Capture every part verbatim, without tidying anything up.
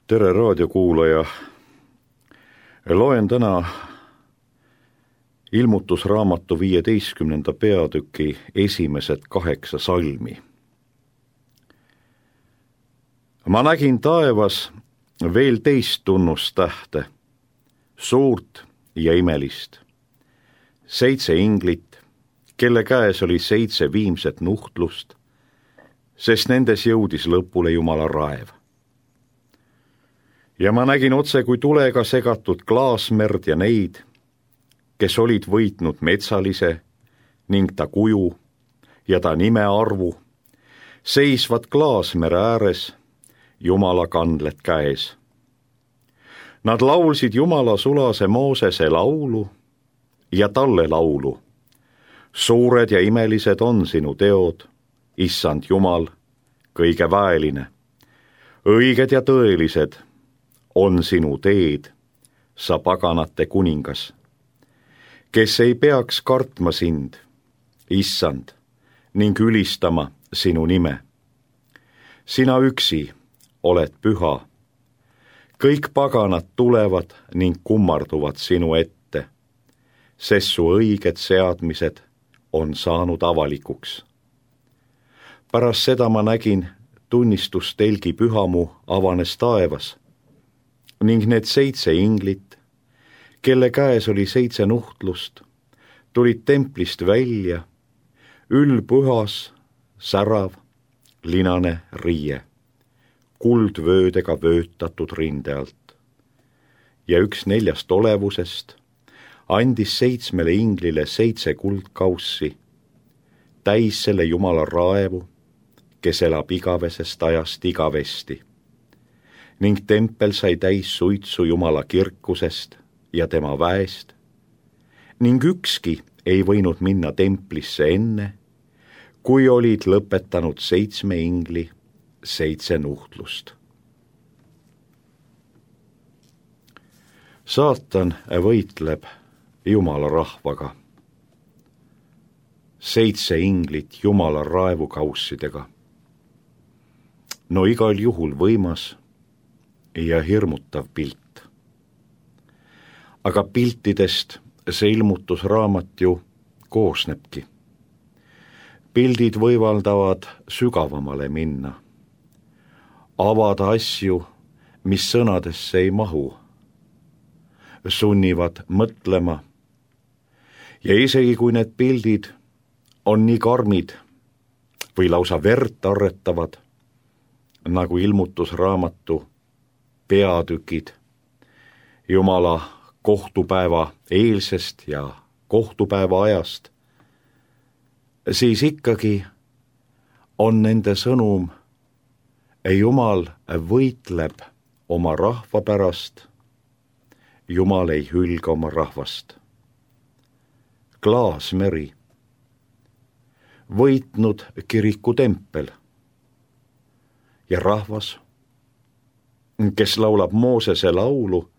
Tere raadiokuulaja! Loen täna ilmutusraamatu viieteistkümnenda peatüki esimesed kaheksa salmi. Ma nägin taevas veel teist tunnustähte, suurt ja imelist. Seitse inglit, kelle käes oli seitse viimset nuhtlust, sest nendes jõudis lõpule Jumala raev. Ja ma nägin otse kui tulega segatud klaasmerd ja neid, kes olid võitnud metsalise ning ta kuju ja ta nime arvu, seisvad klaasmere ääres, Jumala kandled käes. Nad laulsid Jumala sulase Moosese laulu ja talle laulu. Suured ja imelised on sinu teod, issand Jumal, kõige väeline. Õiged ja tõelised on sinu teed, sa paganate kuningas, kes ei peaks kartma sind, issand, ning ülistama sinu nime. Sina üksi oled püha. Kõik paganad tulevad ning kummarduvad sinu ette, sest su õiged seadmised on saanud avalikuks. Pärast seda ma nägin tunnistustelgi pühamu avanes taevas ning need seitse inglit, kelle käes oli seitse nuhtlust, tulid templist välja, ülpühas, särav, linane riie, kuldvöödega vöötatud rinde alt. Ja üks neljast olevusest andis seitsmele inglile seitse kuldkaussi, täis selle Jumala raevu, kes elab igavesest ajast igavesti. Ning tempel sai täis suitsu Jumala kirkusest ja tema väest, ning ükski ei võinud minna templisse enne, kui olid lõpetanud seitsme ingli seitse nuhtlust. Saatan võitleb Jumala rahvaga. Seitse inglit Jumala raevukaussidega. No igal juhul võimas ja hirmutav pilt. Aga piltidest see ilmutusraamat ju koosnebki. Pildid võimaldavad sügavamale minna, avada asju, mis sõnadesse ei mahu, sunnivad mõtlema. Ja isegi kui need pildid on nii karmid või lausa verd arretavad, nagu ilmutusraamatu peatükid Jumala kohtupäeva eelsest ja kohtupäeva ajast, siis ikkagi on nende sõnum, Jumal võitleb oma rahva pärast, Jumal ei hülga oma rahvast. Klaasmeri, võitnud kiriku tempel ja rahvas, kes laulab Moosese laulu,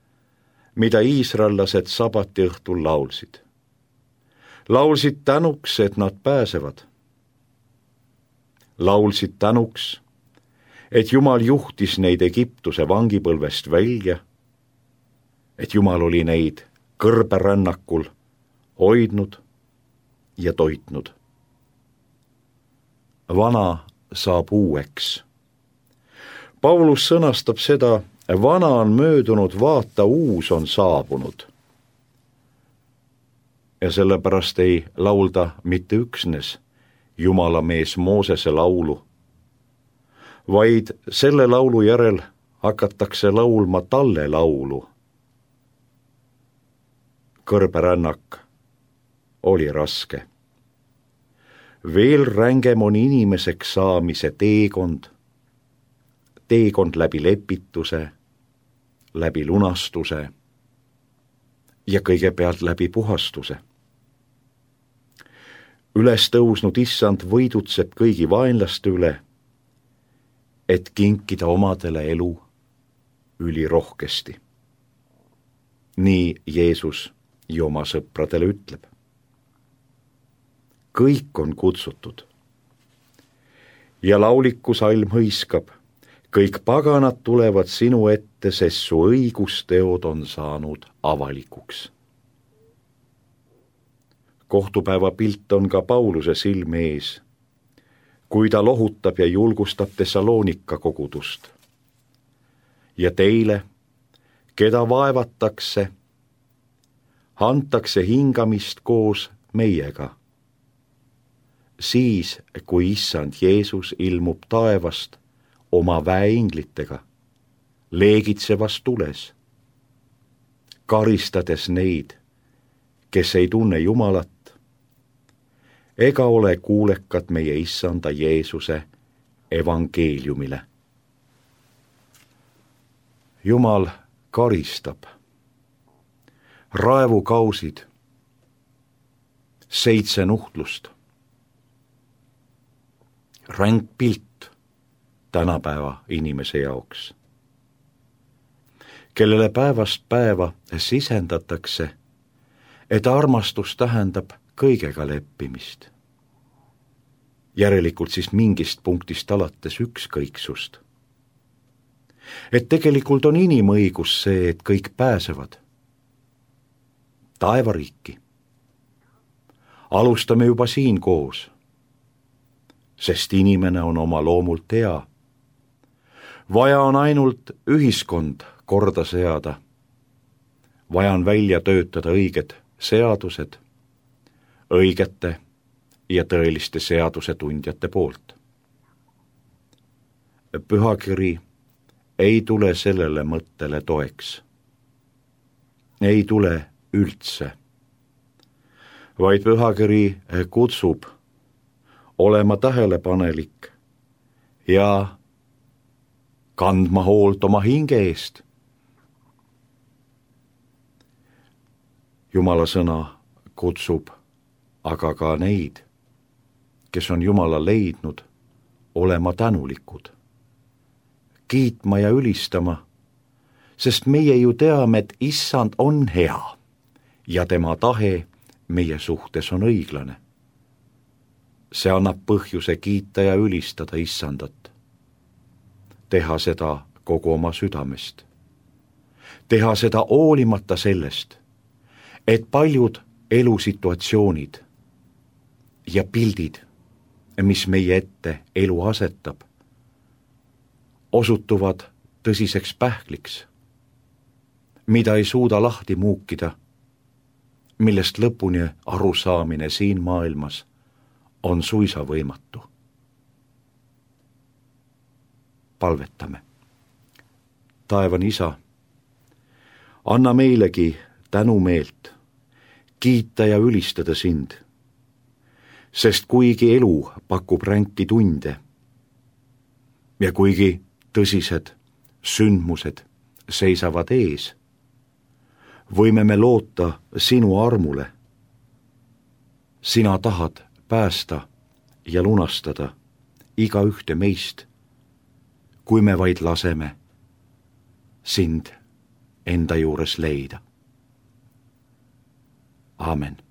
mida iisraellased sabati õhtul laulsid. Laulsid tänuks, et nad pääsevad. Laulsid tänuks, et Jumal juhtis neid Egiptuse vangipõlvest välja, et Jumal oli neid kõrberännakul hoidnud ja toitnud. Vana saab uueks. Paulus sõnastab seda, vana on möödunud, vaata, uus on saabunud. Ja sellepärast ei laulda mitte üksnes Jumala mees Moosese laulu, vaid selle laulu järel hakatakse laulma talle laulu. Kõrberännak oli raske. Veel rängem on inimeseks saamise teekond, teekond läbi lepituse, läbi lunastuse ja kõigepealt läbi puhastuse. Üles tõusnud issand võidutseb kõigi vaenlaste üle, et kinkida omadele elu ülirohkesti. Nii Jeesus ju oma sõpradele ütleb. Kõik on kutsutud. Ja lauliku salm hõiskab, kõik paganad tulevad sinu ette, sest su õigusteod on saanud avalikuks. Kohtupäeva pilt on ka Pauluse silme ees, kui ta lohutab ja julgustab Thessalonika kogudust. Ja teile, keda vaevatakse, antakse hingamist koos meiega. Siis, kui issand Jeesus ilmub taevast oma väeinglitega, leegitsevas tules, karistades neid, kes ei tunne Jumalat, ega ole kuulekad meie issanda Jeesuse evangeeliumile. Jumal karistab. Raevukausid, seitse nuhtlust. Ränk pilt tänapäeva inimese jaoks, kellele päevast päeva sisendatakse, et armastus tähendab kõigega leppimist. Järelikult siis mingist punktist alates ükskõiksust. Et tegelikult on inimõigus see, et kõik pääsevad taevariiki. Alustame juba siin koos, sest inimene on oma loomult hea. Vaja on ainult ühiskond korda seada. Vaja on välja töötada õiged seadused, õigete ja tõeliste seaduse tundjate poolt. Pühakiri ei tule sellele mõttele toeks. Ei tule üldse, vaid pühakiri kutsub olema tähelepanelik ja kandma hoolt oma hinge eest. Jumala sõna kutsub aga ka neid, kes on Jumala leidnud, olema tänulikud, kiitma ja ülistama, sest meie ju teame, et issand on hea ja tema tahe meie suhtes on õiglane. See annab põhjuse kiita ja ülistada issandat, teha seda kogu oma südamest, teha seda hoolimata sellest, et paljud elusituatsioonid ja pildid, mis meie ette elu asetab, osutuvad tõsiseks pähkliks, mida ei suuda lahti muukida, millest lõpuni arusaamine siin maailmas on suisa võimatu. Palvetame. Taevan isa, anna meilegi tänumeelt, kiita ja ülistada sind, sest kuigi elu pakub ränki tunde ja kuigi tõsised sündmused seisavad ees, võime me loota sinu armule. Sina tahad päästa ja lunastada iga ühte meist, kui me vaid laseme sind enda juures leida. Aamen.